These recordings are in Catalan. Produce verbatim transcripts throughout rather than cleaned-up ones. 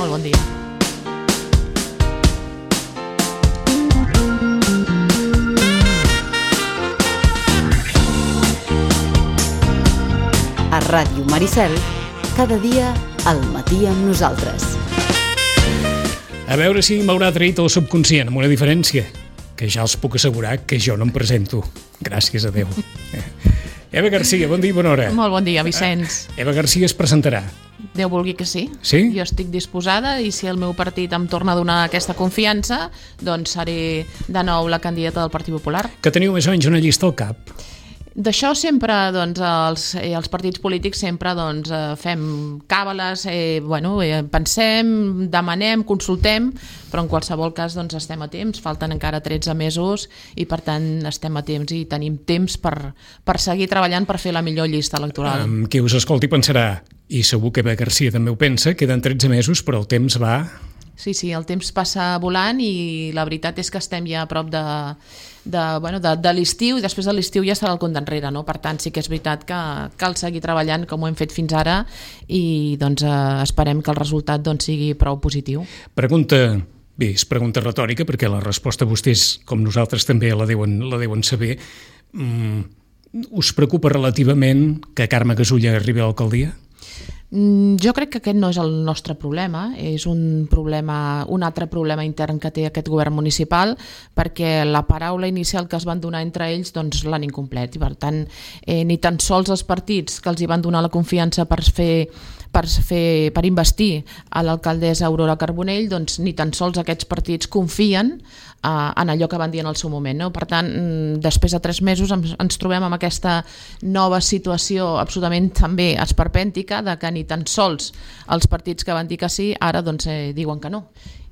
Molt bon dia. A Ràdio Maricel, cada dia al matí amb nosaltres. A veure si m'haurà traït el subconscient, amb una diferència, que ja els puc assegurar que jo no em presento. Gràcies a Déu. Eva Garcia, bon dia i bona hora. Molt bon dia, Vicenç. Eva Garcia es presentarà. Déu vulgui que sí. Sí? Jo estic disposada i si el meu partit em torna a donar aquesta confiança, doncs seré de nou la candidata del Partit Popular. Que teniu més o menys una llista al cap. D'això sempre, doncs, els, eh, els partits polítics sempre doncs, eh, fem càbales, eh, bueno, eh, pensem, demanem, consultem, però en qualsevol cas doncs, estem a temps, falten encara tretze mesos i per tant estem a temps i tenim temps per, per seguir treballant per fer la millor llista electoral. Um, qui us escolti pensarà, i segur que Eva Garcia també ho pensa, queden tretze mesos però el temps va... Sí, sí, el temps passa volant i la veritat és que estem ja a prop de, de, bueno, de, de l'estiu i després de l'estiu ja serà el compte enrere, no? Per tant sí que és veritat que cal seguir treballant com ho hem fet fins ara i doncs, eh, esperem que el resultat doncs, sigui prou positiu. Pregunta, bé, és pregunta retòrica perquè la resposta vostès, com nosaltres també la deuen, la deuen saber. Mm, us preocupa relativament que Carme Gasulla arribi a l'alcaldia? Jo crec que aquest no és el nostre problema, és un problema, un altre problema intern que té aquest govern municipal perquè la paraula inicial que es van donar entre ells doncs l'han incomplet i per tant eh, ni tan sols els partits que els hi van donar la confiança per fer per, fer, per investir a l'alcaldessa Aurora Carbonell, doncs ni tan sols aquests partits confien eh, en allò que van dir en el seu moment, no? Per tant, després de tres mesos ens, ens trobem amb aquesta nova situació absolutament també esperpèntica de que ni tan sols els partits que van dir que sí ara doncs eh, diuen que no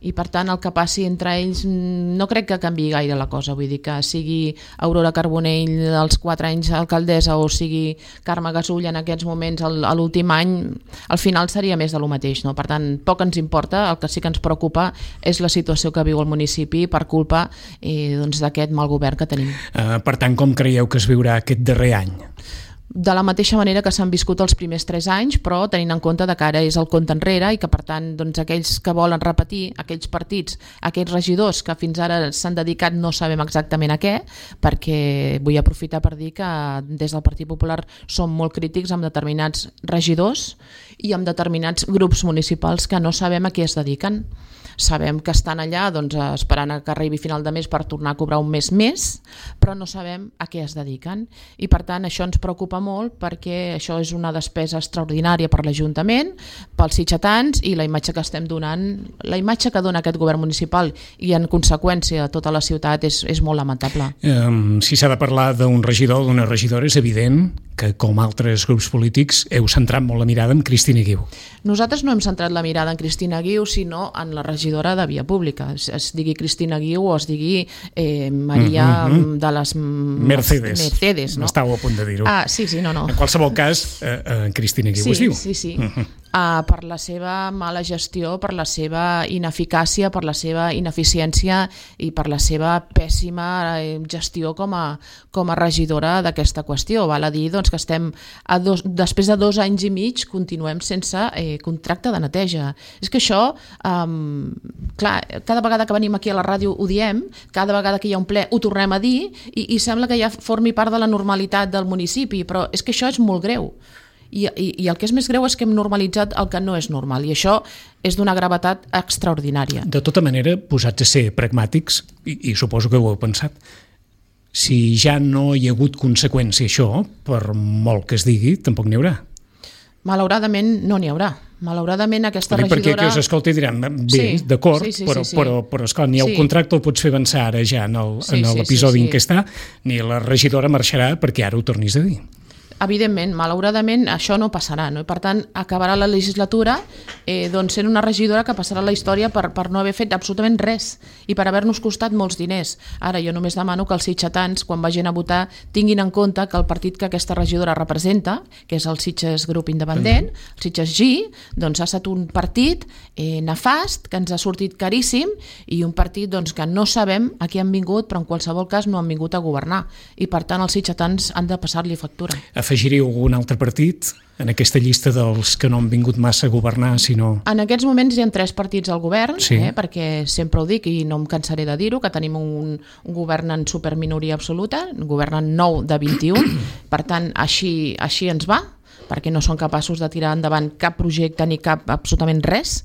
i per tant el que passi entre ells no crec que canviï gaire la cosa, vull dir que sigui Aurora Carbonell dels quatre anys alcaldessa o sigui Carme Gasulla en aquests moments a l'últim any, al final seria més de lo mateix, no? Per tant poc ens importa, el que sí que ens preocupa és la situació que viu el municipi per culpa eh, doncs, d'aquest mal govern que tenim. Uh, per tant, com creieu que es viurà aquest darrer any? De la mateixa manera que s'han viscut els primers tres anys, però tenint en compte que ara és el compte enrere i que per tant doncs, aquells que volen repetir, aquells partits, aquells regidors que fins ara s'han dedicat no sabem exactament a què, perquè vull aprofitar per dir que des del Partit Popular som molt crítics amb determinats regidors i amb determinats grups municipals que no sabem a què es dediquen. Sabem que estan allà doncs, esperant que arribi final de mes per tornar a cobrar un mes més, però no sabem a què es dediquen i per tant això ens preocupa molt perquè això és una despesa extraordinària per l'Ajuntament, pels sitgetans i la imatge que estem donant, la imatge que dona aquest govern municipal i en conseqüència tota la ciutat és, és molt lamentable. Um, si s'ha de parlar d'un regidor o d'una regidora és evident que com altres grups polítics heu centrat molt la mirada en Cristina Guiu. Nosaltres no hem centrat la mirada en Cristina Guiu sinó en la regidora de Via Pública, es, es digui Cristina Guiu o es digui eh, Maria mm-hmm. de les Mercedes, Mercedes no? Estàveu a punt de dir-ho. Ah, sí, sí, no, no. En qualsevol cas, eh, eh, Cristina Guiu sí, es diu. Sí, sí, uh-huh. uh, per la seva mala gestió, per la seva ineficàcia, per la seva ineficiència i per la seva pèssima gestió com a, com a regidora d'aquesta qüestió. Val a dir doncs, que estem a dos, després de dos anys i mig continuem sense eh, contracte de neteja. És que això, um, clar, cada vegada que venim aquí a la ràdio ho diem, cada vegada que hi ha un ple ho tornem a dir i, i sembla que ja formi part de la normalitat del municipi, però és que això és molt greu. I, i, i el que és més greu és que hem normalitzat el que no és normal i això és d'una gravetat extraordinària. De tota manera, posats a ser pragmàtics, i, i suposo que ho heu pensat, si ja no hi ha hagut conseqüència això, per molt que es digui, tampoc n'hi haurà. Malauradament no n'hi haurà. Malauradament aquesta regidora... Perquè qui us escolti diran, bé, sí, d'acord, sí, sí, però, sí, sí. però, però esclar, ni el sí. contracte el pots fer avançar ara ja en sí, l'episodi sí, sí, sí. en què està, ni la regidora marxarà perquè ara ho tornis a dir. Evidentment, malauradament, això no passarà, no? I per tant, acabarà la legislatura eh, doncs sent una regidora que passarà la història per, per no haver fet absolutament res i per haver-nos costat molts diners. Ara jo només demano que els sitgetans, quan vagin a votar, tinguin en compte que el partit que aquesta regidora representa, que és el Sitges Grup Independent, el Sitges G, doncs ha estat un partit eh, nefast, que ens ha sortit caríssim i un partit doncs, que no sabem a què han vingut, però en qualsevol cas no han vingut a governar. I per tant, els sitgetans han de passar-li factura. afegiríeu algun altre partit en aquesta llista dels que no han vingut massa a governar, sinó... En aquests moments hi ha tres partits al govern, sí. eh, perquè sempre ho dic i no em cansaré de dir-ho, que tenim un, un govern en superminoria absoluta, un govern en nou de vint-i-un, per tant, així, així ens va, perquè no són capaços de tirar endavant cap projecte ni cap absolutament res.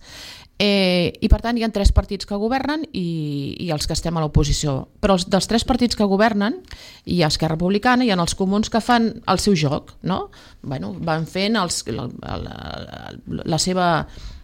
Eh, I per tant hi ha tres partits que governen i, i els que estem a l'oposició, però els, dels tres partits que governen hi ha Esquerra Republicana i hi ha els comuns que fan el seu joc, no? Bueno, van fent els, la, la, la seva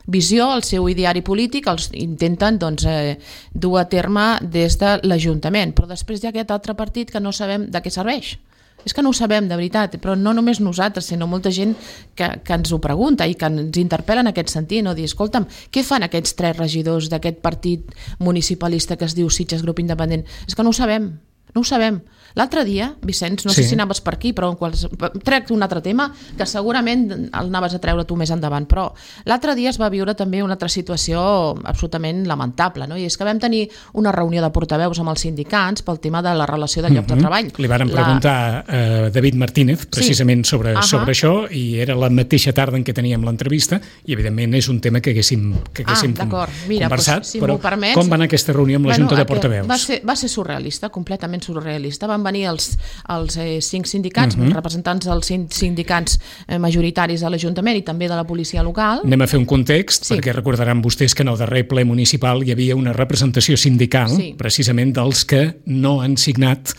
visió, el seu ideari polític, els intenten doncs, eh, dur a terme des de l'Ajuntament, però després hi ha aquest altre partit que no sabem de què serveix. És que no ho sabem, de veritat, però no només nosaltres, sinó molta gent que, que ens ho pregunta i que ens interpel·la en aquest sentit, no? Dir, escolta'm, què fan aquests tres regidors d'aquest partit municipalista que es diu Sitges Grup Independent? És que no ho sabem, no ho sabem. L'altre dia, Vicenç, no sí. sé si anaves per aquí, però en quals... trec un altre tema que segurament el anaves a treure tu més endavant, però l'altre dia es va viure també una altra situació absolutament lamentable, no? I és que vam tenir una reunió de portaveus amb els sindicats pel tema de la relació de llocs mm-hmm. de treball. Li varen la... preguntar a uh, David Martínez precisament sí. sobre, uh-huh. sobre això i era la mateixa tarda en què teníem l'entrevista i evidentment és un tema que haguéssim, que haguéssim ah, Mira, conversat, doncs, si però permets, com va anar aquesta reunió amb la bueno, Junta de Portaveus? Va ser, va ser surrealista, completament surrealista. Van venir els, els eh, cinc sindicats, uh-huh. representants dels sindicats eh, majoritaris de l'Ajuntament i també de la policia local. Anem a fer un context, sí. perquè recordaran vostès que en el darrer ple municipal hi havia una representació sindical, sí. precisament dels que no han signat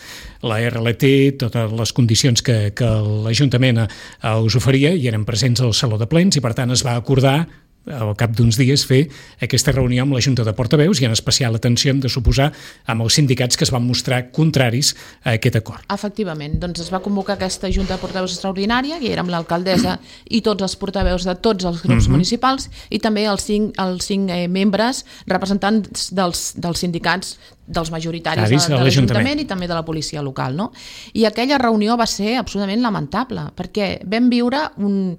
la R L T, totes les condicions que, que l'Ajuntament us oferia i eren presents al Saló de Plens i per tant es va acordar al cap d'uns dies fer aquesta reunió amb la Junta de Portaveus i en especial atenció hem de suposar amb els sindicats que es van mostrar contraris a aquest acord. Efectivament, doncs es va convocar aquesta Junta de Portaveus extraordinària, que érem l'alcaldessa i tots els portaveus de tots els grups uh-huh. municipals i també els cinc, els cinc eh, membres representants dels, dels sindicats dels majoritaris de, de l'Ajuntament i també de la policia local, no? I aquella reunió va ser absolutament lamentable perquè vam viure un...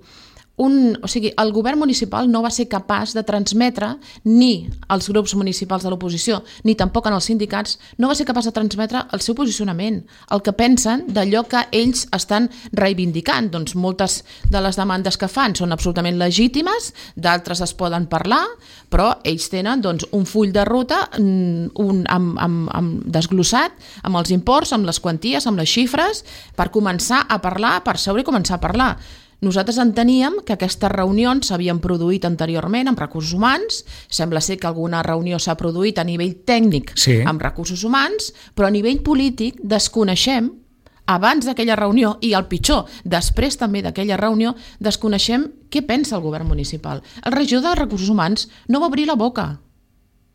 Un, o sigui, el govern municipal no va ser capaç de transmetre ni als grups municipals de l'oposició ni tampoc en els sindicats, no va ser capaç de transmetre el seu posicionament, el que pensen d'allò que ells estan reivindicant. Doncs moltes de les demandes que fan són absolutament legítimes, d'altres es poden parlar, però ells tenen doncs, un full de ruta un, amb, amb, amb desglossat amb els imports, amb les quanties, amb les xifres, per començar a parlar, per seure i començar a parlar. Nosaltres enteníem que aquestes reunions s'havien produït anteriorment amb recursos humans, sembla ser que alguna reunió s'ha produït a nivell tècnic sí. amb recursos humans, però a nivell polític desconeixem, abans d'aquella reunió i el pitjor, després també d'aquella reunió, desconeixem què pensa el govern municipal. El regidor de recursos humans no va obrir la boca.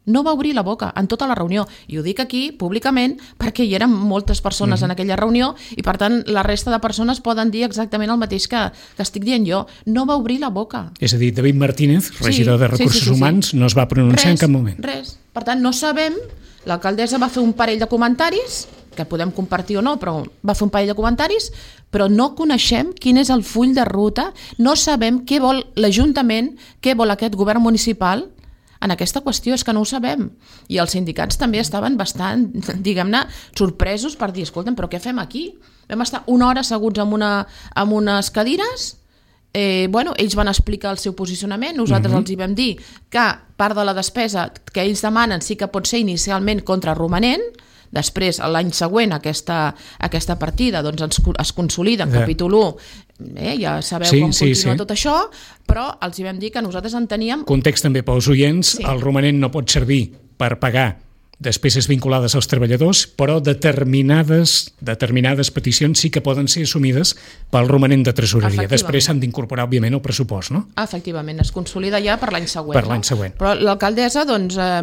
No va obrir la boca en tota la reunió, i ho dic aquí públicament perquè hi eren moltes persones mm-hmm. en aquella reunió i per tant la resta de persones poden dir exactament el mateix que, que estic dient jo. No va obrir la boca. És a dir, David Martínez, regidor sí, de Recursos sí, sí, sí, Humans, sí. no es va pronunciar res, en cap moment. Res. Per tant, no sabem, l'alcaldessa va fer un parell de comentaris, que podem compartir o no, però va fer un parell de comentaris, però no coneixem quin és el full de ruta, no sabem què vol l'Ajuntament, què vol aquest govern municipal en aquesta qüestió, és que no ho sabem. I els sindicats també estaven bastant, diguem-ne, sorpresos per dir, escolta'm, però què fem aquí? Vam estar una hora asseguts amb, una, amb unes cadires, eh, bueno, ells van explicar el seu posicionament, nosaltres uh-huh. els hi vam dir que part de la despesa que ells demanen sí que pot ser inicialment contra romanent, després, l'any següent, aquesta, aquesta partida doncs, es, es consolida en yeah. capítol u, eh, ja sabeu sí, com sí, continua sí. tot això, però els hi vam dir que nosaltres enteníem... Context també pels oients, sí. el romanent no pot servir per pagar despeses vinculades als treballadors, però determinades, determinades peticions sí que poden ser assumides pel romanent de tresoreria. Després s'han d'incorporar, òbviament, al pressupost, no? Efectivament, es consolida ja per l'any següent. Per l'any no? següent. Però l'alcaldessa, doncs, eh,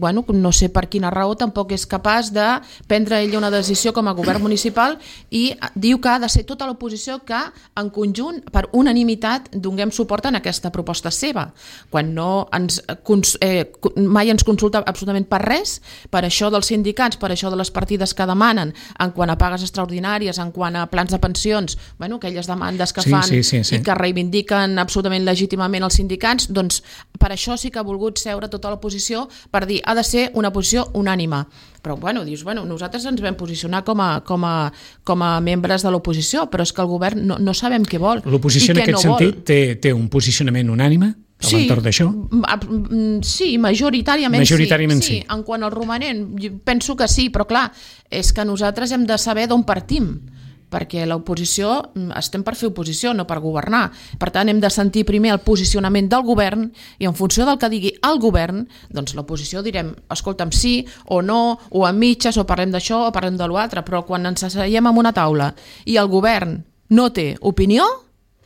bueno, no sé per quina raó, tampoc és capaç de prendre ella una decisió com a govern municipal i diu que ha de ser tota l'oposició que, en conjunt, per unanimitat, donem suport en aquesta proposta seva, quan no ens, eh, mai ens consulta absolutament per res Per això dels sindicats, per això de les partides que demanen, en quant a pagues extraordinàries, en quant a plans de pensions, bueno, aquelles demandes que sí, fan sí, sí, sí. i que reivindiquen absolutament legítimament els sindicats, doncs per això sí que ha volgut seure tota l'oposició per dir ha de ser una posició unànime. Però bueno, dius, bueno, nosaltres ens vam posicionar com a, com a, com a membres de l'oposició, però és que el govern no, no sabem què vol. L'oposició en aquest no sentit té, té un posicionament unànime a sí, l'entorn d'això? Sí, majoritàriament, majoritàriament sí. sí. En quant al romanent, penso que sí, però clar, és que nosaltres hem de saber d'on partim, perquè l'oposició, estem per fer oposició, no per governar. Per tant, hem de sentir primer el posicionament del govern i en funció del que digui el govern, doncs l'oposició direm, escolta'm, sí o no, o a mitges, o parlem d'això o parlem de l'altre, però quan ens asseiem en una taula i el govern no té opinió,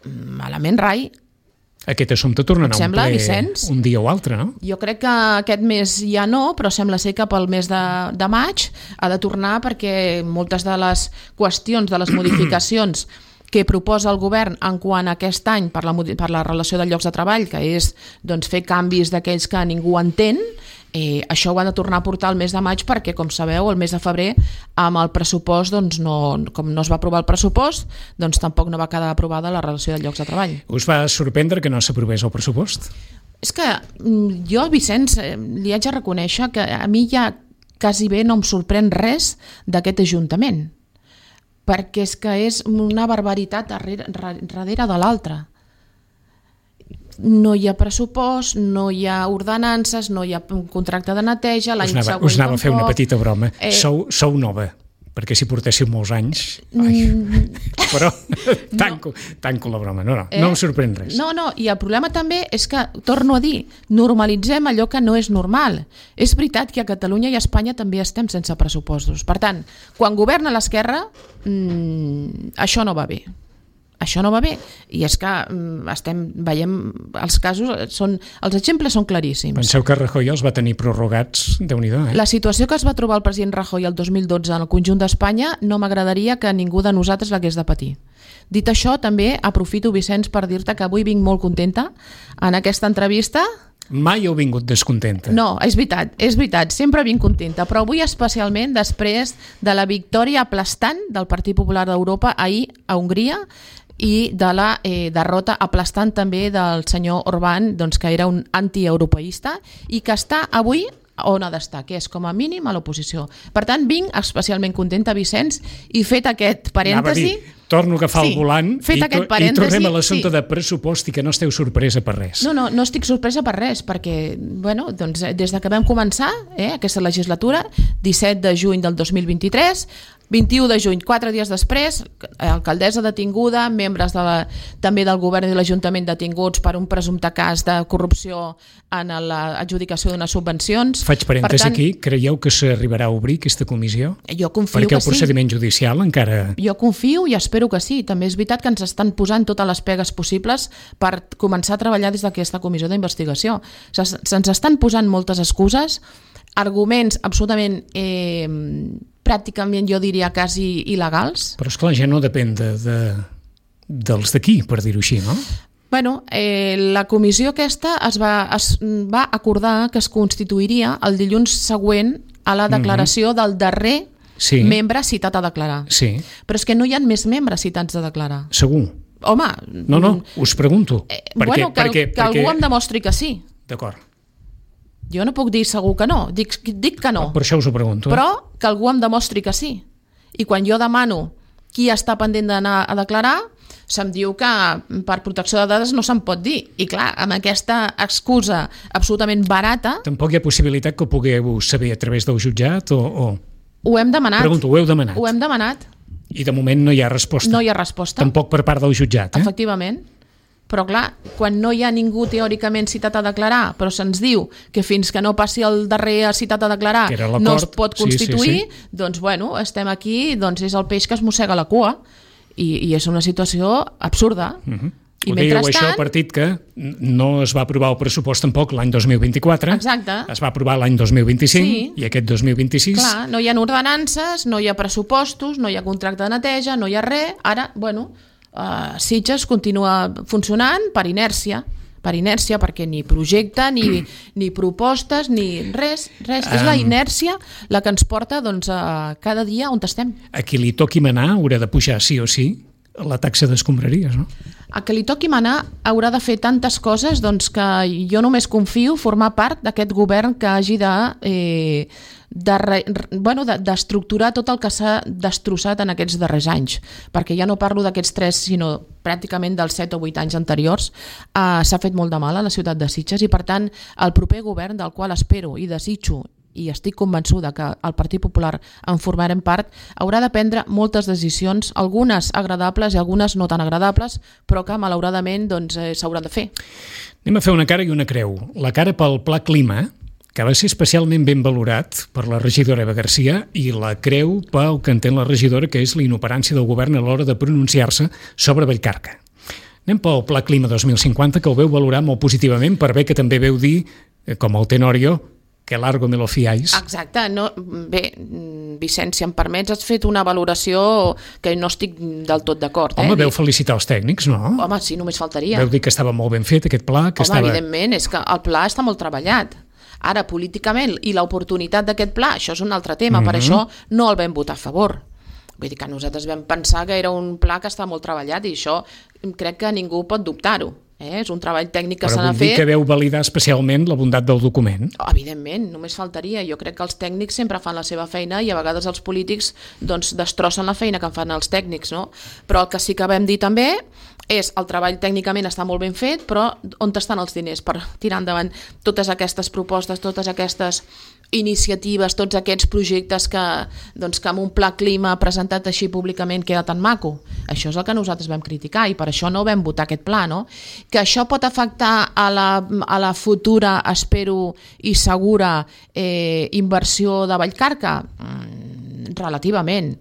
malament rai. Aquest assumpte tornarà a un sembla, ple Vicenç? Un dia o altre, no? Jo crec que aquest mes ja no, però sembla ser que pel mes de, de maig ha de tornar perquè moltes de les qüestions, de les modificacions que proposa el govern en quant a aquest any per la, per la relació de llocs de treball, que és doncs, fer canvis d'aquells que ningú entén, eh, això ho han de tornar a portar el mes de maig perquè, com sabeu, el mes de febrer amb el pressupost, doncs, no, com no es va aprovar el pressupost, doncs tampoc no va quedar aprovada la relació de llocs de treball. Us va sorprendre que no s'aprovés el pressupost? És que jo, Vicenç, li haig de reconèixer que a mi ja quasi bé no em sorprèn res d'aquest Ajuntament, perquè és que és una barbaritat darrere, darrere de l'altra. No hi ha pressupost, no hi ha ordenances, no hi ha un contracte de neteja, l'any següent tampoc. Us anava a fer una petita broma. Eh... Sou, sou nova, perquè si portéssiu molts anys... Ai, mm... Però tanco, no. tanco la broma. No, no, eh? no em sorprèn res. No, no, i el problema també és que, torno a dir, normalitzem allò que no és normal. És veritat que a Catalunya i a Espanya també estem sense pressupostos. Per tant, quan governa l'esquerra, mmm, això no va bé. Això no va bé, i és que estem veiem els casos, són, els exemples són claríssims. Penseu que Rajoy els va tenir prorrogats, Déu-n'hi-do, eh? La situació que es va trobar el president Rajoy el dos mil dotze en el conjunt d'Espanya no m'agradaria que ningú de nosaltres l'hagués de patir. Dit això, també aprofito, Vicenç, per dir-te que avui vinc molt contenta en aquesta entrevista. Mai heu vingut descontenta. No, és veritat, és veritat, sempre vinc contenta, però avui especialment després de la victòria aplastant del Partit Popular d'Europa ahir a Hongria i de la eh, derrota aplastant també del senyor Orbán, doncs, que era un antieuropeista i que està avui on ha d'estar, que és com a mínim a l'oposició. Per tant, vinc especialment contenta, Vicenç, i fet aquest parèntesi... Torno a agafar sí, el volant i, to i tornem a l'assumpte sí. de pressupost i que no esteu sorpresa per res. No, no, no estic sorpresa per res, perquè bueno, doncs, des de que vam començar eh, aquesta legislatura, disset de juny del dos mil vint-i-tres, vint-i-u de juny, quatre dies després, alcaldessa detinguda, membres de la, també del govern i de l'Ajuntament detinguts per un presumpte cas de corrupció en l'adjudicació d'unes subvencions. Faig parèntesi tant, aquí, creieu que s'arribarà a obrir aquesta comissió? Jo confio perquè que sí. Perquè el procediment judicial encara... Jo confio i espero que sí. També és veritat que ens estan posant totes les pegues possibles per començar a treballar des d'aquesta comissió d'investigació. Se'ns estan posant moltes excuses, arguments absolutament... Eh, pràcticament jo diria quasi il·legals. Però esclar, ja no depèn de, de, dels d'aquí, per dir-ho així, no? Bueno, eh, la comissió aquesta es va, es va acordar que es constituiria el dilluns següent a la declaració mm-hmm. del darrer sí. membre citat a declarar. Sí. Però és que no hi ha més membres citats a declarar. Segur? Home... No, no, us pregunto. Eh, perquè, bueno, que, perquè, que perquè... algú em demostri que sí. D'acord. Jo no puc dir segur que no, dic, dic que no. Per això us ho pregunto. Però que algú em demostri que sí. I quan jo demano qui està pendent d'anar a declarar, se'm diu que per protecció de dades no se'n pot dir. I clar, amb aquesta excusa absolutament barata... Tampoc hi ha possibilitat que ho pugueu saber a través del jutjat o... o... Ho hem demanat. Pregunto, ho heu demanat? Ho hem demanat. I de moment no hi ha resposta? No hi ha resposta. Tampoc per part del jutjat, eh? Efectivament. Però clar, quan no hi ha ningú teòricament citat a declarar, però se'ns diu que fins que no passi el darrer citat a declarar no es pot constituir, sí, sí, sí. doncs bueno, estem aquí, doncs és el peix que es mossega la cua i, i és una situació absurda. Uh-huh. I ho dèieu això a partit que no es va aprovar el pressupost tampoc l'any dos mil vint-i-quatre, exacte. Es va aprovar l'any dos mil vint-i-cinc sí. I aquest dos mil vint-i-sis... Clar, no hi ha ordenances, no hi ha pressupostos, no hi ha contracte de neteja, no hi ha res, ara, bueno... Uh, Sitges continua funcionant per inèrcia per inèrcia, perquè ni projecte, ni, ni propostes, ni res, res. Um, és la inèrcia la que ens porta doncs, a cada dia on estem. A qui li toqui manar haurà de pujar sí o sí la taxa d'escombraries, no? A qui li toqui manar haurà de fer tantes coses doncs, que jo només confio formar part d'aquest govern que hagi de... Eh, de, bueno, d'estructurar tot el que s'ha destrossat en aquests darrers anys, perquè ja no parlo d'aquests tres, sinó pràcticament dels set o vuit anys anteriors. eh, s'ha fet molt de mal a la ciutat de Sitges i per tant el proper govern, del qual espero i desitjo i estic convençuda que el Partit Popular en formarem part, haurà de prendre moltes decisions, algunes agradables i algunes no tan agradables, però que malauradament doncs, eh, s'hauran de fer. Anem a fer una cara i una creu. La cara pel Pla Clima, que va ser especialment ben valorat per la regidora Eva Garcia, i la creu pel que entén la regidora, que és la inoperància del govern a l'hora de pronunciar-se sobre Vallcarca. Anem pel Pla Clima dos mil cinquanta, que ho veu valorar molt positivament, per bé que també veu dir, com el Tenorio, que largo me lo fiáis. Exacte. No, bé, Vicenç, si em permets, has fet una valoració que no estic del tot d'acord. Eh? Home, veu felicitar els tècnics, no? Home, sí, només faltaria. Veu dir que estava molt ben fet aquest pla. Que Home, estava... evidentment, és que el pla està molt treballat. Ara, políticament, i l'oportunitat d'aquest pla, això és un altre tema, mm-hmm. per això no el vam votar a favor. Vull dir que nosaltres vam pensar que era un pla que està molt treballat i això crec que ningú pot dubtar-ho. Eh? És un treball tècnic que s'ha de fer... Però vull dir que veu validar especialment la bondat del document. Evidentment, només faltaria. Jo crec que els tècnics sempre fan la seva feina i a vegades els polítics doncs, destrossen la feina que fan els tècnics, no? Però el que sí que vam dir també és el treball tècnicament està molt ben fet, però on estan els diners per tirar endavant totes aquestes propostes, totes aquestes iniciatives, tots aquests projectes que, doncs, que amb un pla clima presentat així públicament queda tan maco. Això és el que nosaltres vam criticar i per això no vam votar aquest pla, no? Que això pot afectar a la, a la futura, espero i segura, eh, inversió de Vallcarca? Mm, relativament.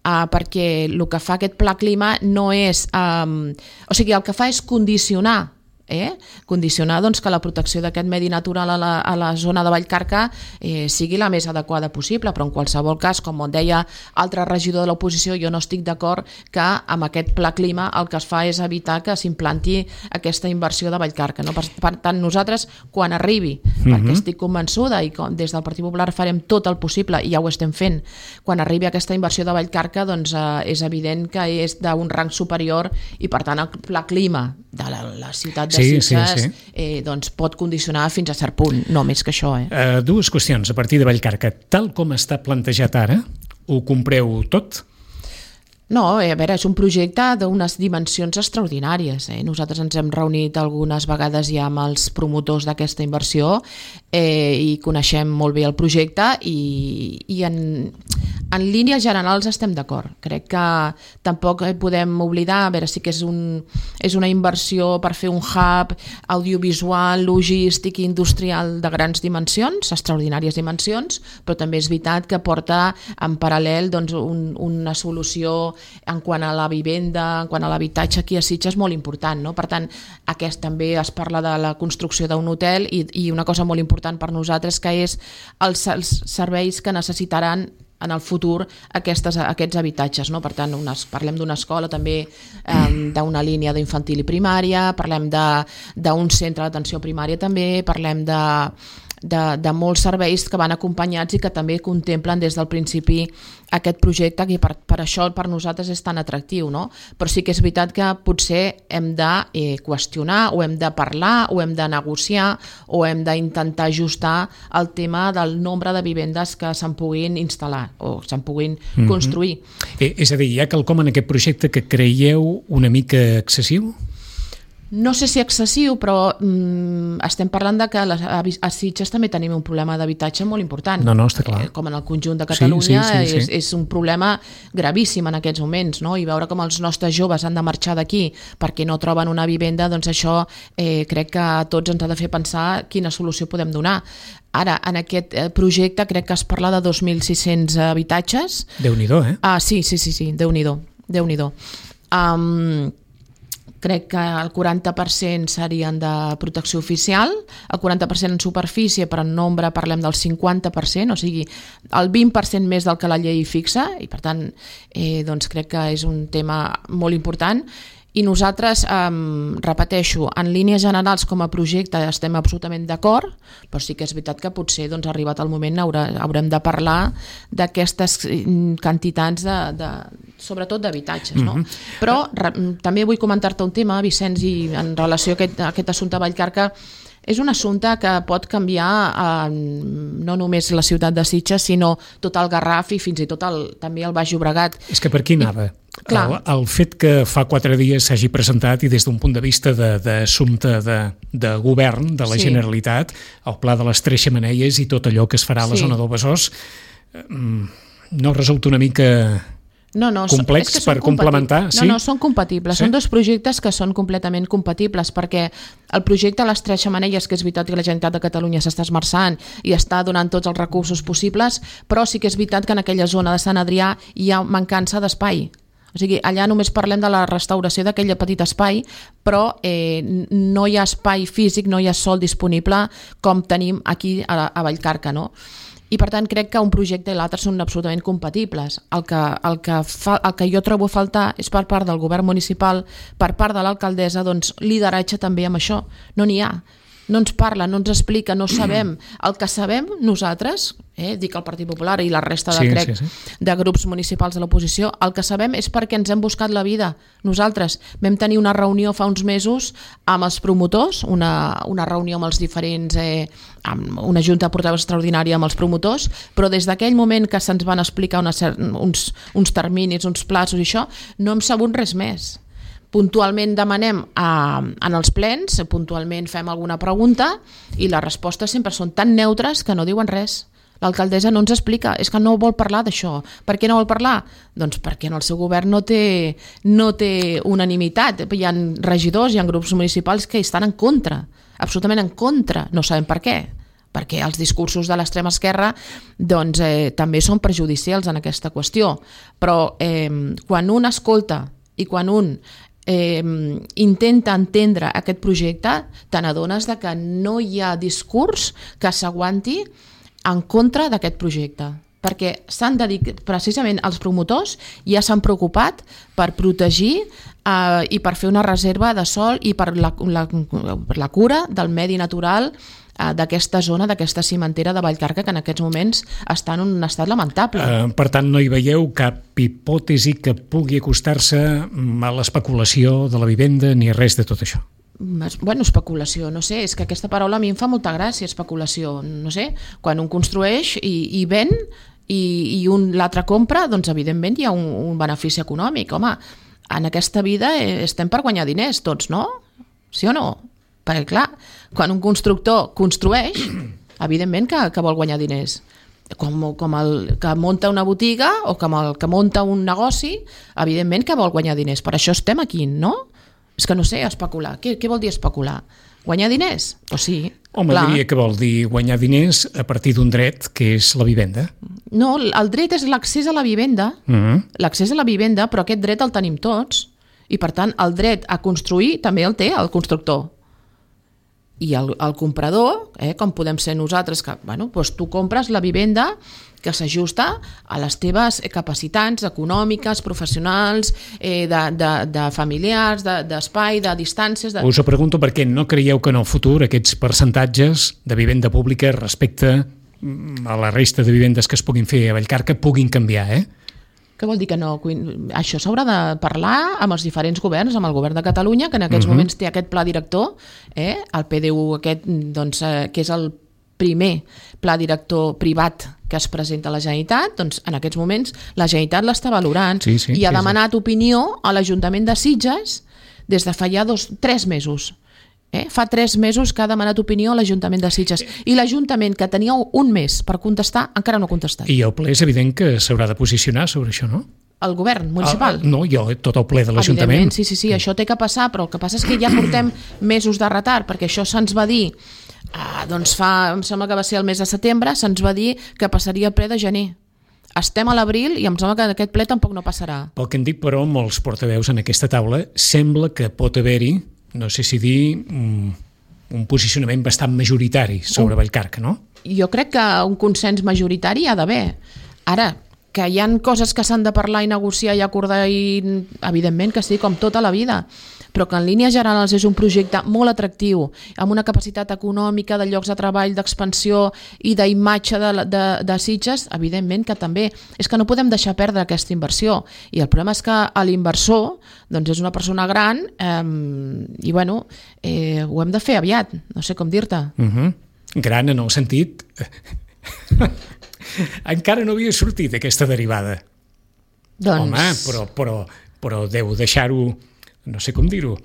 Uh, perquè el que fa aquest pla clima no és... Um, o sigui, el que fa és condicionar Eh? condicionar doncs, que la protecció d'aquest medi natural a la, a la zona de Vallcarca eh, sigui la més adequada possible, però en qualsevol cas, com deia altre regidor de l'oposició, jo no estic d'acord que amb aquest pla clima el que es fa és evitar que s'implanti aquesta inversió de Vallcarca, no? Per, per tant, nosaltres quan arribi, mm-hmm. perquè estic convençuda i com, des del Partit Popular farem tot el possible i ja ho estem fent, quan arribi aquesta inversió de Vallcarca doncs, eh, és evident que és d'un rang superior i per tant el pla clima de la, la ciutat de Sí, Sitges sí, sí. Eh, doncs pot condicionar fins a cert punt, no més que això. Eh? Uh, dues qüestions a partir de Vallcarca. Tal com està plantejat ara, ho compreu tot? No, a veure, és un projecte d'unes dimensions extraordinàries. Eh? Nosaltres ens hem reunit algunes vegades ja amb els promotors d'aquesta inversió eh, i coneixem molt bé el projecte i, i en, en línies generals estem d'acord. Crec que tampoc podem oblidar, a veure, sí que és, un, és una inversió per fer un hub audiovisual, logístic i industrial de grans dimensions, extraordinàries dimensions, però també és veritat que porta en paral·lel doncs, un, una solució en quant a la vivenda, en quant a l'habitatge aquí a Sitges molt important, no? Per tant, aquest també es parla de la construcció d'un hotel i, i una cosa molt important per nosaltres que és els, els serveis que necessitaran en el futur aquestes, aquests habitatges, no? Per tant, unes, parlem d'una escola també, eh, d'una línia d'infantil i primària, parlem d'un centre d'atenció primària també, parlem de De, de molts serveis que van acompanyats i que també contemplen des del principi aquest projecte que per, per això per nosaltres és tan atractiu, no? Però sí que és veritat que potser hem de eh, qüestionar o hem de parlar o hem de negociar o hem d'intentar ajustar el tema del nombre de vivendes que se'n puguin instal·lar o se'n puguin mm-hmm. construir. Eh, és a dir, hi ha quelcom en aquest projecte que creieu una mica excessiu? No sé si excessiu, però mm, estem parlant de que a, a Sitges també tenim un problema d'habitatge molt important. No, no, està clar. Eh, com en el conjunt de Catalunya, sí, sí, sí, sí. És, és un problema gravíssim en aquests moments, no? I veure com els nostres joves han de marxar d'aquí perquè no troben una vivenda, doncs això eh, crec que a tots ens ha de fer pensar quina solució podem donar. Ara, en aquest projecte crec que es parla de dos mil sis-cents habitatges. Déu-n'hi-do, eh? Ah, sí, sí, sí, sí, Déu-n'hi-do. Déu-n'hi-do. Um, crec que el quaranta per cent serien de protecció oficial, el quaranta per cent en superfície, però en nombre parlem del cinquanta per cent, o sigui, el vint per cent més del que la llei fixa, i per tant, eh, doncs crec que és un tema molt important. I nosaltres, eh, repeteixo, en línies generals com a projecte estem absolutament d'acord, però sí que és veritat que potser doncs, arribat el moment haurà, haurem de parlar d'aquestes quantitats, de, de, sobretot d'habitatges. No? Mm-hmm. Però re, també vull comentar-te un tema, Vicenç, i en relació a aquest, a aquest assumpte Vallcarca. És un assumpte que pot canviar eh, no només la ciutat de Sitges, sinó tot el Garraf i fins i tot el, també el Baix Llobregat. És que per aquí anava. I, el, el fet que fa quatre dies s'hagi presentat i des d'un punt de vista d'assumpte de, de, de govern de la sí. Generalitat, el pla de les tres xemeneies i tot allò que es farà a la sí. zona del Besòs, eh, no resulta una mica... No, no, complex és que per complementar? No, sí? no, són compatibles. Sí? Són dos projectes que són completament compatibles, perquè el projecte a les tres xemeneies, que és veritat que la Generalitat de Catalunya s'està esmerçant i està donant tots els recursos possibles, però sí que és veritat que en aquella zona de Sant Adrià hi ha mancança d'espai. O sigui, allà només parlem de la restauració d'aquell petit espai, però eh, no hi ha espai físic, no hi ha sòl disponible com tenim aquí a, a Vallcarca, no? I per tant crec que un projecte i l'altre són absolutament compatibles. El que, el, que fa, el que jo trobo a faltar és per part del govern municipal, per part de l'alcaldessa, doncs lideratge també amb això. No n'hi ha. No ens parla, no ens explica, no sabem. El que sabem nosaltres, eh, dic el Partit Popular i la resta de, sí, crec, sí, sí. de grups municipals de l'oposició, el que sabem és perquè ens hem buscat la vida. Nosaltres vam tenir una reunió fa uns mesos amb els promotors, una, una reunió amb els diferents, eh, amb una junta de portaveus extraordinària amb els promotors, però des d'aquell moment que se'ns van explicar una, uns, uns terminis, uns plaços i això, no hem sabut res més. Puntualment demanem a, en els plens, puntualment fem alguna pregunta i les respostes sempre són tan neutres que no diuen res. L'alcaldessa no ens explica, és que no vol parlar d'això. Per què no vol parlar? Doncs perquè en el seu govern no té, no té unanimitat. Hi ha regidors, hi ha grups municipals que estan en contra, absolutament en contra, no sabem per què. Perquè els discursos de l'extrema esquerra doncs, eh, també són perjudicials en aquesta qüestió. Però eh, quan un escolta i quan un Eh, intenta entendre aquest projecte, te n'adones de que no hi ha discurs que s'aguanti en contra d'aquest projecte, perquè s'han dedicat, precisament els promotors ja s'han preocupat per protegir eh, i per fer una reserva de sòl i per la, la, per la cura del medi natural d'aquesta zona, d'aquesta cimentera de Vallcarca, que en aquests moments està en un estat lamentable. Uh, per tant, no hi veieu cap hipòtesi que pugui acostar-se a l'especulació de la vivenda ni res de tot això? Bueno, especulació, no sé, és que aquesta paraula a mi em fa molta gràcia, especulació, no sé, quan un construeix i, i ven i, i un l'altre compra, doncs evidentment hi ha un, un benefici econòmic. Home, en aquesta vida estem per guanyar diners tots, no? Sí o no? Perquè, clar, quan un constructor construeix, evidentment que, que vol guanyar diners. Com, com el que munta una botiga o com el que munta un negoci, evidentment que vol guanyar diners. Per això estem aquí, no? És que no sé, especular. Què, què vol dir especular? Guanyar diners? Pues sí. Home, clar. Diria que vol dir guanyar diners a partir d'un dret, que és la vivenda. No, el dret és l'accés a la vivenda, uh-huh. l'accés a la vivenda, però aquest dret el tenim tots. I, per tant, el dret a construir també el té el constructor. I el, el comprador, eh, com podem ser nosaltres, que bueno, doncs tu compres la vivenda que s'ajusta a les teves capacitats econòmiques, professionals, eh, de, de, de familiars, d'espai, de, de distàncies... De... Us ho pregunto perquè no creieu que en el futur aquests percentatges de vivenda pública respecte a la resta de vivendes que es puguin fer a Vallcarca puguin canviar, eh? Què vol dir que no? Això s'haurà de parlar amb els diferents governs, amb el govern de Catalunya, que en aquests uh-huh. moments té aquest pla director, eh? el P D U aquest, doncs, eh, que és el primer pla director privat que es presenta a la Generalitat, doncs en aquests moments la Generalitat l'està valorant sí, sí, i ha sí, demanat sí. opinió a l'Ajuntament de Sitges des de fa ja dos, tres mesos. Eh? Fa tres mesos que ha demanat opinió a l'Ajuntament de Sitges i l'Ajuntament, que tenia un mes per contestar, encara no ha contestat. I el ple és evident que s'haurà de posicionar sobre això, no? El govern municipal? El, no, jo, tot el ple de l'Ajuntament. Sí, sí, sí, això té que passar, però el que passa és que ja portem mesos de retard, perquè això se'ns va dir, ah, doncs fa, em sembla que va ser el mes de setembre, se'ns va dir que passaria el ple de gener. Estem a l'abril i em sembla que aquest ple tampoc no passarà. Pel que em dic, però, molts portaveus en aquesta taula, sembla que pot haver-hi, no sé si dir, un, un posicionament bastant majoritari sobre un, Vallcarca, no? Jo crec que un consens majoritari hi ha d'haver. Ara, que hi ha coses que s'han de parlar i negociar i acordar, i evidentment que sí, com tota la vida, però que en línies generals és un projecte molt atractiu, amb una capacitat econòmica, de llocs de treball, d'expansió i d'imatge de, de, de Sitges, evidentment que també. És que no podem deixar perdre aquesta inversió. I el problema és que l'inversor doncs és una persona gran eh, i bueno, eh, ho hem de fer aviat, no sé com dir-te. Uh-huh. Gran en el sentit... Encara no havia sortit aquesta derivada. Doncs... Home, però, però, però deu deixar-ho... no sé com dir-ho.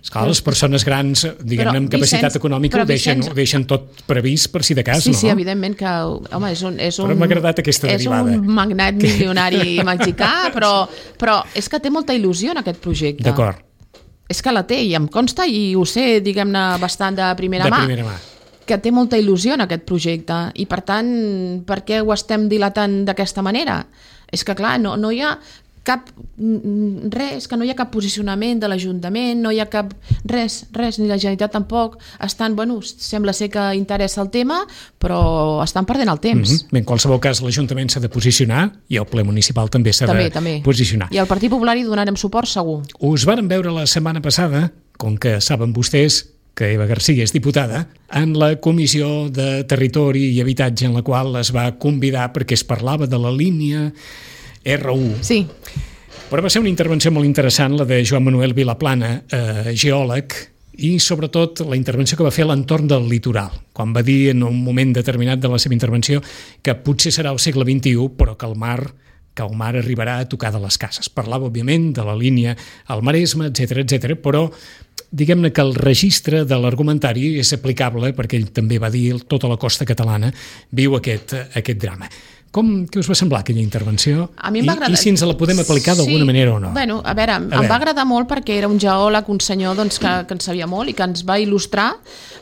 Esclar, les persones grans, diguem-ne, amb capacitat Vicenç, econòmica ho deixen, Vicenç, ho deixen tot previst per si de cas, sí, no? Sí, sí, evidentment que... Home, és un... És un però m'ha agradat aquesta derivada. És un magnat milionari mexicà, però, però és que té molta il·lusió en aquest projecte. D'acord. És que la té, i em consta, i ho sé, diguem-ne, bastant de primera de mà. De primera mà. Que té molta il·lusió en aquest projecte. I, per tant, per què ho estem dilatant d'aquesta manera? És que, clar, no, no hi ha... cap res, que no hi ha cap posicionament de l'Ajuntament, no hi ha cap res, res, ni la Generalitat tampoc. Estan, bueno, sembla ser que interessa el tema, però estan perdent el temps. Mm-hmm. Bé, en qualsevol cas, l'Ajuntament s'ha de posicionar i el ple municipal també s'ha també, de també. posicionar. I al Partit Popular hi donarem suport, segur. Us vàrem veure la setmana passada, com que saben vostès que Eva García és diputada, en la Comissió de Territori i Habitatge, en la qual es va convidar perquè es parlava de la línia erre u. Sí. Però va ser una intervenció molt interessant, la de Joan Manuel Vilaplana, eh, geòleg, i sobretot la intervenció que va fer a l'entorn del litoral, quan va dir en un moment determinat de la seva intervenció que potser serà el segle vint-i-u, però que el mar que el mar arribarà a tocar de les cases. Parlava, òbviament, de la línia al Maresme, etcètera, etcètera, però diguem-ne que el registre de l'argumentari és aplicable, perquè ell també va dir tota la costa catalana viu aquest, aquest drama. Com, què us va semblar aquella intervenció? A mi em va agradar... I, I si ens la podem aplicar d'alguna sí. manera o no? Bueno, a veure, a em veure. va agradar molt perquè era un geòleg, un senyor doncs, que, que en sabia molt i que ens va il·lustrar,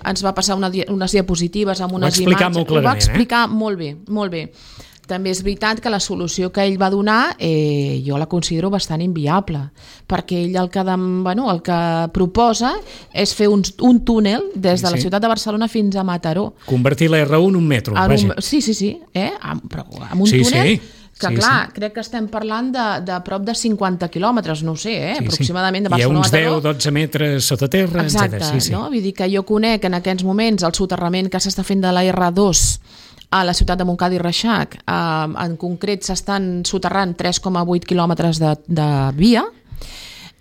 ens va passar una, unes diapositives amb unes imatges. Ho va explicar molt clarament, Ho va explicar eh? molt bé, molt bé. També és veritat que la solució que ell va donar eh, jo la considero bastant inviable, perquè ell el que, de, bueno, el que proposa és fer un, un túnel des de sí. la ciutat de Barcelona fins a Mataró. Convertir la erre u en un metro, en vaja. Un, sí, sí, sí, eh? amb, però amb un sí, túnel... Sí. que sí, clar, sí. crec que estem parlant de, de prop de cinquanta quilòmetres, no ho sé, eh? sí, aproximadament sí. de Barcelona a Mataró. Hi ha uns deu dotze metres sota terra, exacte, etcètera. Sí, sí. No? Vull dir que jo conec en aquests moments el soterrament que s'està fent de la erre dos a la ciutat de Montcada i Reixac. Eh, en concret s'estan soterrant tres coma vuit quilòmetres de, de via,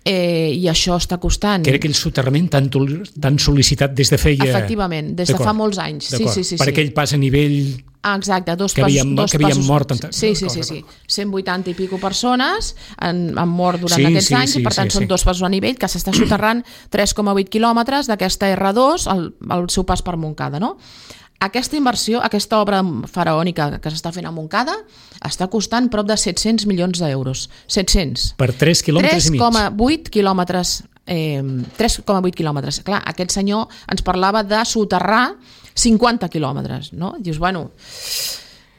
eh, i això està costant... Que era aquell soterrament tan, tan sol·licitat des de feia... Efectivament, des de fa molts anys. Sí, sí, sí, per sí. aquell pas a nivell... Ah, exacte, dos que havien, passos, dos que havien passos. mort en... Sí, sí, sí, sí. cent vuitanta i pico persones han, han mort durant sí, aquests sí, anys sí, i per tant sí, són sí. dos passos a nivell que s'està soterrant tres coma vuit quilòmetres d'aquesta erre dos al, al seu pas per Montcada, no? Aquesta inversió, aquesta obra faraònica que s'està fent a Montcada està costant prop de set-cents milions d'euros. set-cents. Per tres quilòmetres i mig. tres coma vuit quilòmetres. Eh, tres coma vuit quilòmetres. Clar, aquest senyor ens parlava de soterrar cinquanta quilòmetres, no? Dius, bueno...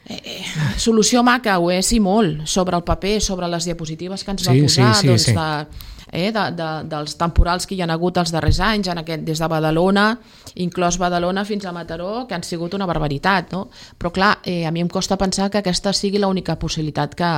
Eh, solució maca, ho és i molt, sobre el paper, sobre les diapositives que ens va sí, posar, sí, sí, doncs sí. de, eh, de, de, dels temporals que hi ha hagut els darrers anys, en aquest, des de Badalona, inclòs Badalona fins a Mataró, que han sigut una barbaritat, no? Però clar, eh, a mi em costa pensar que aquesta sigui l'única possibilitat que,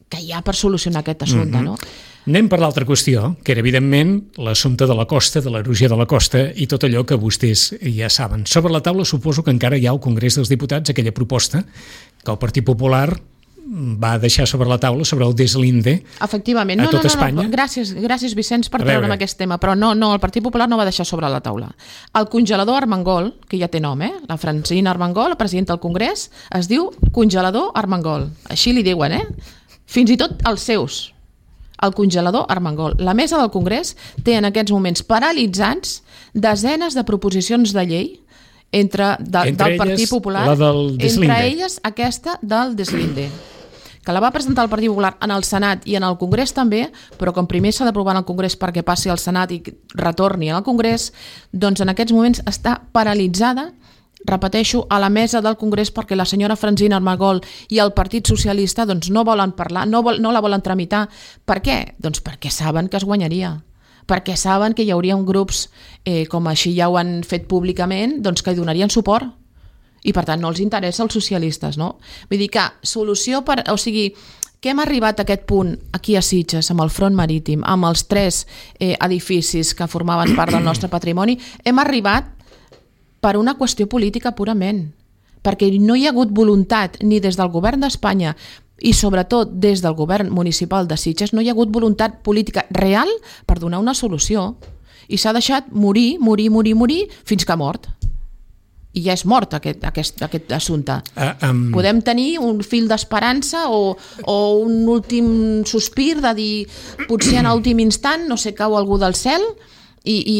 que hi ha per solucionar aquest assumpte, mm-hmm. no? Anem per l'altra qüestió, que era evidentment l'assumpte de la costa, de l'erosió de la costa i tot allò que vostès ja saben. Sobre la taula suposo que encara hi ha al Congrés dels Diputats aquella proposta que el Partit Popular va deixar sobre la taula sobre el deslinde Efectivament. a no, tot no, no, Espanya. No, gràcies, gràcies Vicenç per treure'm aquest tema, però no, no, el Partit Popular no va deixar sobre la taula. El congelador Armengol, que ja té nom, eh? La Francina Armengol, la presidenta del Congrés, es diu congelador Armengol. Així li diuen, eh? Fins i tot els seus. El congelador Armengol. La mesa del Congrés té en aquests moments paralitzats desenes de proposicions de llei entre, de, entre del Partit Popular, la del entre elles aquesta del deslinde, que la va presentar el Partit Popular en el Senat i en el Congrés també, però com primer s'ha d'aprovar en el Congrés perquè passi al Senat i retorni al Congrés, doncs en aquests moments està paralitzada, repeteixo, a la mesa del Congrés perquè la senyora Francina Armengol i el Partit Socialista doncs, no volen parlar, no, vol, no la volen tramitar. Per què? Doncs perquè saben que es guanyaria. Perquè saben que hi hauria un grups, eh, com així ja ho han fet públicament, doncs que hi donarien suport. i per tant no els interessa als socialistes, no? Vull dir que solució per... O sigui, que hem arribat a aquest punt aquí a Sitges, amb el front marítim, amb els tres eh, edificis que formaven part del nostre patrimoni, hem arribat per una qüestió política purament, perquè no hi ha hagut voluntat ni des del govern d'Espanya i sobretot des del govern municipal de Sitges, no hi ha hagut voluntat política real per donar una solució i s'ha deixat morir, morir, morir, morir fins que ha mort. I ja és mort aquest, aquest, aquest assumpte. Uh, um... Podem tenir un fil d'esperança o, o un últim sospir de dir potser en l'últim instant no sé, cau algú del cel i... i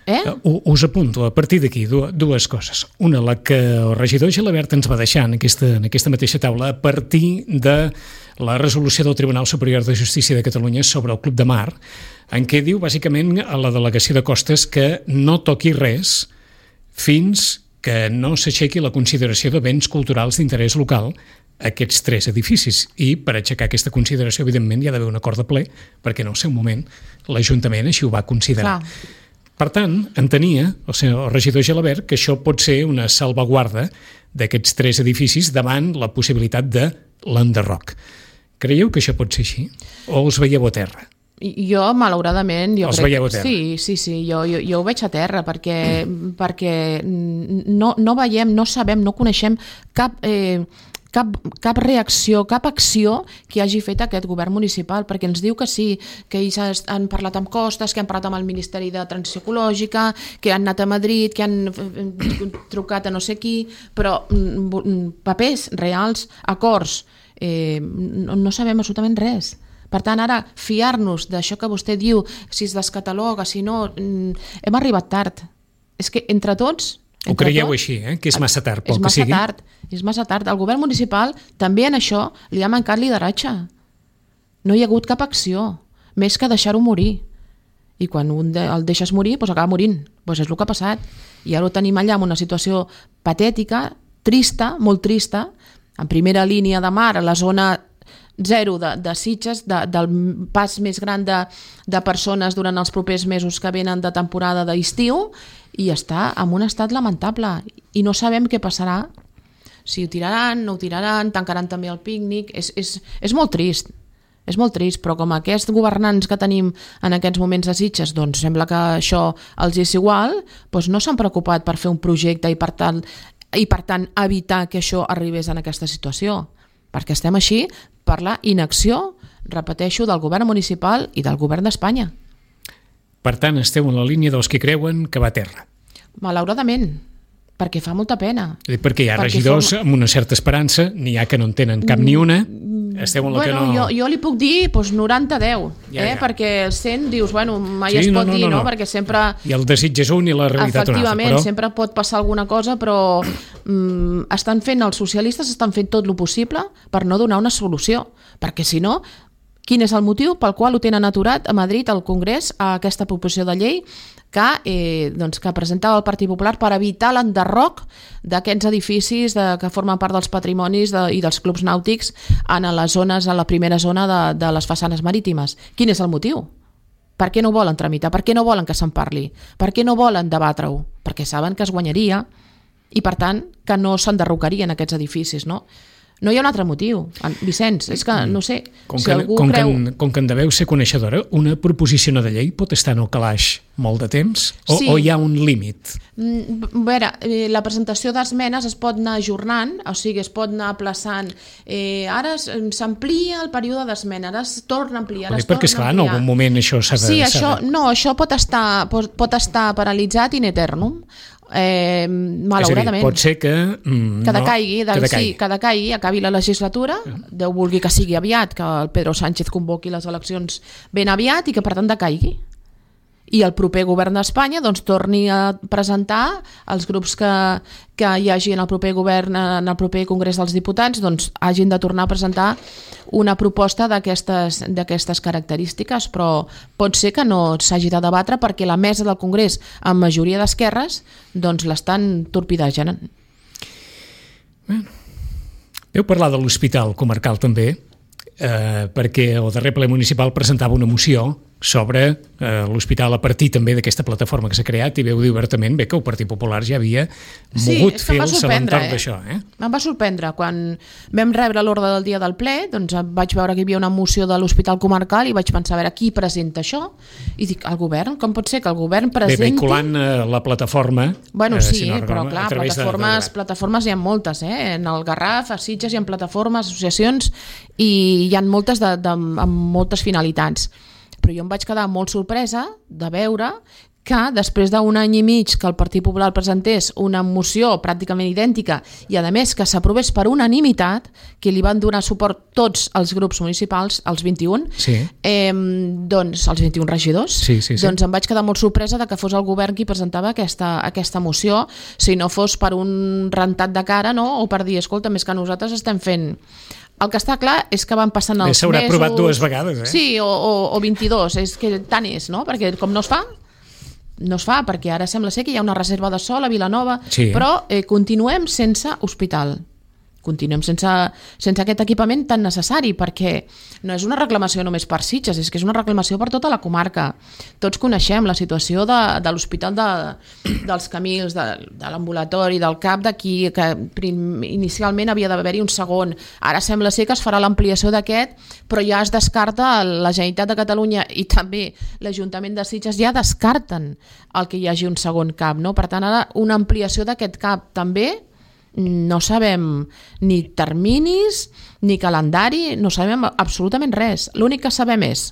eh? Uh, us apunto a partir d'aquí dues coses. Una, la que el regidor Gelabert ens va deixar en aquesta, en aquesta mateixa taula a partir de la resolució del Tribunal Superior de Justícia de Catalunya sobre el Club de Mar, en què diu bàsicament a la delegació de Costes que no toqui res fins que no s'aixequi la consideració de béns culturals d'interès local aquests tres edificis. I per aixecar aquesta consideració, evidentment, hi ha d'haver un acord de ple, perquè en el seu moment l'Ajuntament així ho va considerar. Clar. Per tant, entenia el senyor regidor Gelabert que això pot ser una salvaguarda d'aquests tres edificis davant la possibilitat de l'enderroc. Creieu que això pot ser així? O els veieu a terra? Jo, malauradament... Jo Els crec... veieu a terra? Sí, sí, sí, jo, jo, jo ho veig a terra perquè, mm. perquè no, no veiem, no sabem, no coneixem cap, eh, cap, cap reacció, cap acció que hagi fet aquest govern municipal, perquè ens diu que sí, que ells han parlat amb Costes, que han parlat amb el Ministeri de Transició Ecològica, que han anat a Madrid, que han trucat a no sé qui, però papers reals, acords, eh, no, no sabem absolutament res. Per tant, ara, fiar-nos d'això que vostè diu, si es descataloga, si no... Hem arribat tard. És que entre tots... Ho creieu així, eh? Que és massa tard, pel que sigui? És massa tard, és massa tard. El govern municipal també en això li ha mancat lideratge. No hi ha hagut cap acció, més que deixar-ho morir. I quan un de, el deixes morir, doncs acaba morint. Doncs és el que ha passat. I ara ho tenim allà en una situació patètica, trista, molt trista, en primera línia de mar, a la zona zero de, de Sitges, de, del pas més gran de, de persones durant els propers mesos que venen de temporada d'estiu, i està en un estat lamentable i no sabem què passarà, si ho tiraran, no ho tiraran, tancaran també el pícnic. És, és, és molt trist, és molt trist, però com aquests governants que tenim en aquests moments a Sitges, doncs sembla que això els és igual, doncs no s'han preocupat per fer un projecte i per tant, i per tant evitar que això arribés en aquesta situació, perquè estem així per la inacció, repeteixo, del govern municipal i del govern d'Espanya. Per tant, esteu en la línia dels que creuen que va a terra. Malauradament, perquè fa molta pena. Perquè hi ha perquè regidors forma... amb una certa esperança, n'hi ha que no en tenen cap ni una, esteu en la bueno, que no... Jo, jo li puc dir doncs, noranta a deu, ja, eh? ja. Perquè el cent dius, bueno, mai sí, es no, pot no, dir, no, no? no? Perquè sempre... I el desig és un i la realitat una altra. Efectivament, però... sempre pot passar alguna cosa, però mm, estan fent, els socialistes estan fent tot el possible per no donar una solució, perquè si no... Quin és el motiu pel qual ho tenen aturat a Madrid, al Congrés, a aquesta proposició de llei que, eh, doncs, que presentava el Partit Popular per evitar l'enderroc d'aquests edificis de, que formen part dels patrimonis de, i dels clubs nàutics en les zones, a la primera zona de, de les façanes marítimes. Quin és el motiu? Per què no volen tramitar? Per què no volen que se'n parli? Per què no volen debatre-ho? Perquè saben que es guanyaria i, per tant, que no s'enderrocarien aquests edificis, no? No hi ha un altre motiu, Vicenç, és que no sé, com si que, algú com creu... Que, com que en deveu ser coneixedora, una proposició de llei pot estar en el calaix molt de temps? O, sí. o hi ha un límit? A veure, la presentació d'esmenes es pot anar ajornant, o sigui, es pot anar aplaçant. Eh, ara s'amplia el període d'esmena, ara es torna a ampliar. Perquè, perquè esclar, en algun moment això s'ha de... Sí, això, no, això pot estar, pot, pot estar paralitzat in eternum. Eh, malauradament. És a dir, pot ser que... Mm, que decaigui, no, que decaigui. Sí, que decaigui, acabi la legislatura, uh-huh. Déu vulgui que sigui aviat, que el Pedro Sánchez convoqui les eleccions ben aviat i que per tant decaigui. I el proper govern d'Espanya doncs, torni a presentar els grups que, que hi hagi en el proper govern, en el proper Congrés dels Diputats, doncs hagin de tornar a presentar una proposta d'aquestes d'aquestes característiques, però pot ser que no s'hagi de debatre perquè la mesa del Congrés, amb majoria d'esquerres, doncs l'estan torpidejant. Bueno, heu parlat de l'hospital comarcal també, eh, perquè el darrer ple municipal presentava una moció sobre eh, l'hospital a partir també d'aquesta plataforma que s'ha creat, i veu dir obertament bé que el Partit Popular ja havia mogut sí, fils a l'entorn eh? d'això. Eh? Em va sorprendre. Quan vam rebre l'ordre del dia del ple, doncs vaig veure que hi havia una moció de l'Hospital Comarcal i vaig pensar a veure qui presenta això, i dic, el govern? Com pot ser que el govern presenti... Bé, vehiculant eh, la plataforma... Bueno, eh, sí, si no però recordo, clar, plataformes, de, de plataformes hi ha moltes, eh? En el Garraf, a Sitges hi ha plataformes, associacions, i hi ha moltes de, de, amb moltes finalitats. Però jo em vaig quedar molt sorpresa de veure que després d'un any i mig que el Partit Popular presentés una moció pràcticament idèntica i a més que s'aprovés per unanimitat, que li van donar suport tots els grups municipals, els vint-i-un, sí. eh, doncs els vint-i-un regidors, sí, sí, sí. doncs em vaig quedar molt sorpresa de que fos el govern qui presentava aquesta, aquesta moció, si no fos per un rentat de cara, no? O per dir, escolta, més que nosaltres estem fent... El que està clar és que van passant els mesos... S'haurà aprovat dues vegades, eh? Sí, o, o, o vint-i-dos, és que tant és, no? Perquè com no es fa, no es fa, perquè ara sembla ser que hi ha una reserva de sòl a Vilanova, sí. Però eh, continuem sense hospital. Continuem sense, sense aquest equipament tan necessari, perquè no és una reclamació només per Sitges, és que és una reclamació per tota la comarca. Tots coneixem la situació de, de l'hospital de, dels Camils, de, de l'ambulatori, del CAP d'aquí, que prim, inicialment havia d'haver-hi un segon. Ara sembla ser que es farà l'ampliació d'aquest, però ja es descarta, la Generalitat de Catalunya i també l'Ajuntament de Sitges ja descarten el que hi hagi un segon CAP, no? Per tant, ara una ampliació d'aquest CAP també no sabem ni terminis ni calendari, no sabem absolutament res. L'únic que sabem és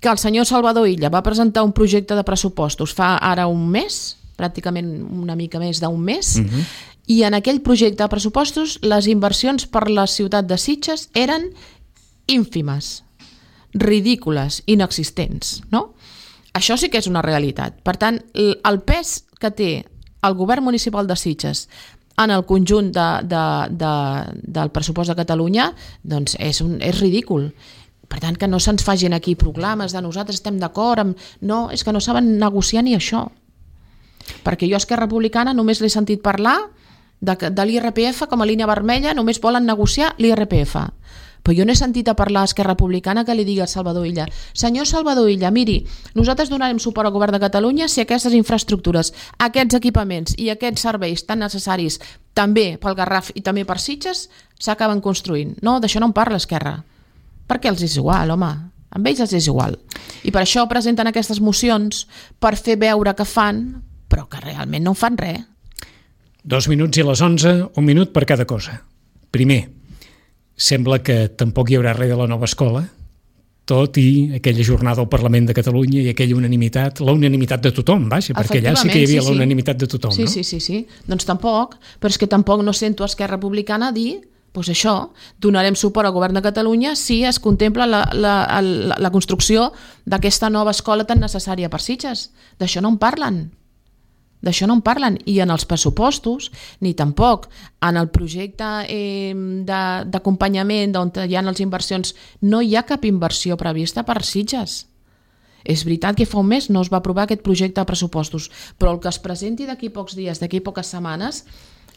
que el senyor Salvador Illa va presentar un projecte de pressupostos fa ara un mes, pràcticament una mica més d'un mes, uh-huh. I en aquell projecte de pressupostos les inversions per la ciutat de Sitges eren ínfimes, ridícules, inexistents, no? Això sí que és una realitat. Per tant, el pes que té el govern municipal de Sitges en el conjunt de, de, de, del pressupost de Catalunya, doncs és, un, és ridícul. Per tant, que no se'ns facin aquí proclames de nosaltres estem d'acord amb... No, és que no saben negociar ni això. Perquè jo a Esquerra Republicana només l'he sentit parlar de, de l'I R P F com a línia vermella, només volen negociar l'I R P F. Però jo no he sentit a parlar a Esquerra Republicana que li digui al Salvador Illa: senyor Salvador Illa, miri, nosaltres donarem suport al govern de Catalunya si aquestes infraestructures, aquests equipaments i aquests serveis tan necessaris també pel Garraf i també per Sitges s'acaben construint. No, d'això no en parla Esquerra. Perquè els és igual, home. Amb ells els és igual. I per això presenten aquestes mocions per fer veure que fan, però que realment no fan res. Dos minuts i a les onze, un minut per cada cosa. Primer, sembla que tampoc hi haurà res de la nova escola, tot i aquella jornada al Parlament de Catalunya i aquella unanimitat, la unanimitat de tothom, vaja, perquè allà sí que hi havia sí, sí. la unanimitat de tothom, sí, no? Sí, sí, sí. Doncs tampoc, però és que tampoc no sento a Esquerra Republicana dir, doncs això, donarem suport al govern de Catalunya si es contempla la, la, la, la construcció d'aquesta nova escola tan necessària per Sitges. D'això no en parlen. D'això no en parlen, i en els pressupostos ni tampoc en el projecte eh, d'acompanyament on hi ha les inversions, no hi ha cap inversió prevista per Sitges. És veritat que fa un mes no es va aprovar aquest projecte de pressupostos, però el que es presenti d'aquí pocs dies, d'aquí poques setmanes,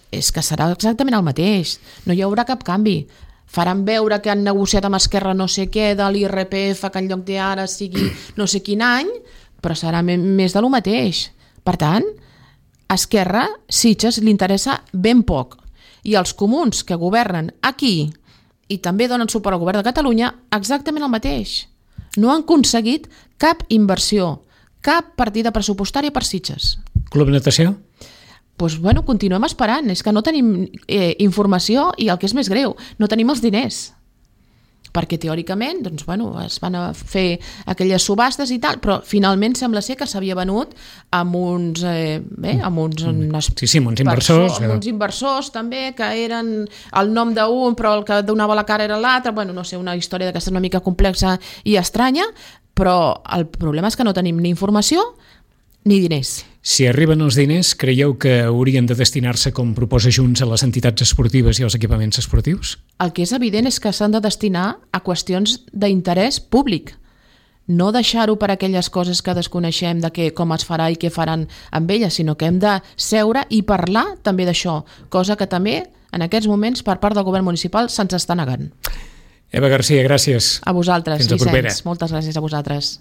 és que serà exactament el mateix, no hi haurà cap canvi. Faran veure que han negociat amb Esquerra no sé què de l'I R P F, que en lloc d'ara sigui no sé quin any, però serà més de lo mateix. Per tant, a Esquerra, Sitges li interessa ben poc. I els comuns que governen aquí i també donen suport al govern de Catalunya, exactament el mateix. No han aconseguit cap inversió, cap partida pressupostària per Sitges. Club Natació? Doncs, bueno, continuem esperant. És que no tenim eh, informació i el que és més greu, no tenim els diners. Perquè teòricament doncs, bueno, es van a fer aquelles subhastes i tal, però finalment sembla ser que s'havia venut amb uns, eh, bé, amb uns, unes sí, sí, amb uns inversors, amb uns inversors també, que eren el nom d'un però el que donava la cara era l'altre. Bueno, no sé, una història d'aquesta una mica complexa i estranya, però el problema és que no tenim ni informació ni diners. Si arriben els diners, creieu que haurien de destinar-se, com proposa Junts, a les entitats esportives i als equipaments esportius? El que és evident és que s'han de destinar a qüestions d'interès públic. No deixar-ho per aquelles coses que desconeixem de què, com es farà i què faran amb elles, sinó que hem de seure i parlar també d'això, cosa que també en aquests moments per part del govern municipal se'ns està negant. Eva Garcia, gràcies. A vosaltres, Fins la propera. Vicenç. Moltes gràcies a vosaltres.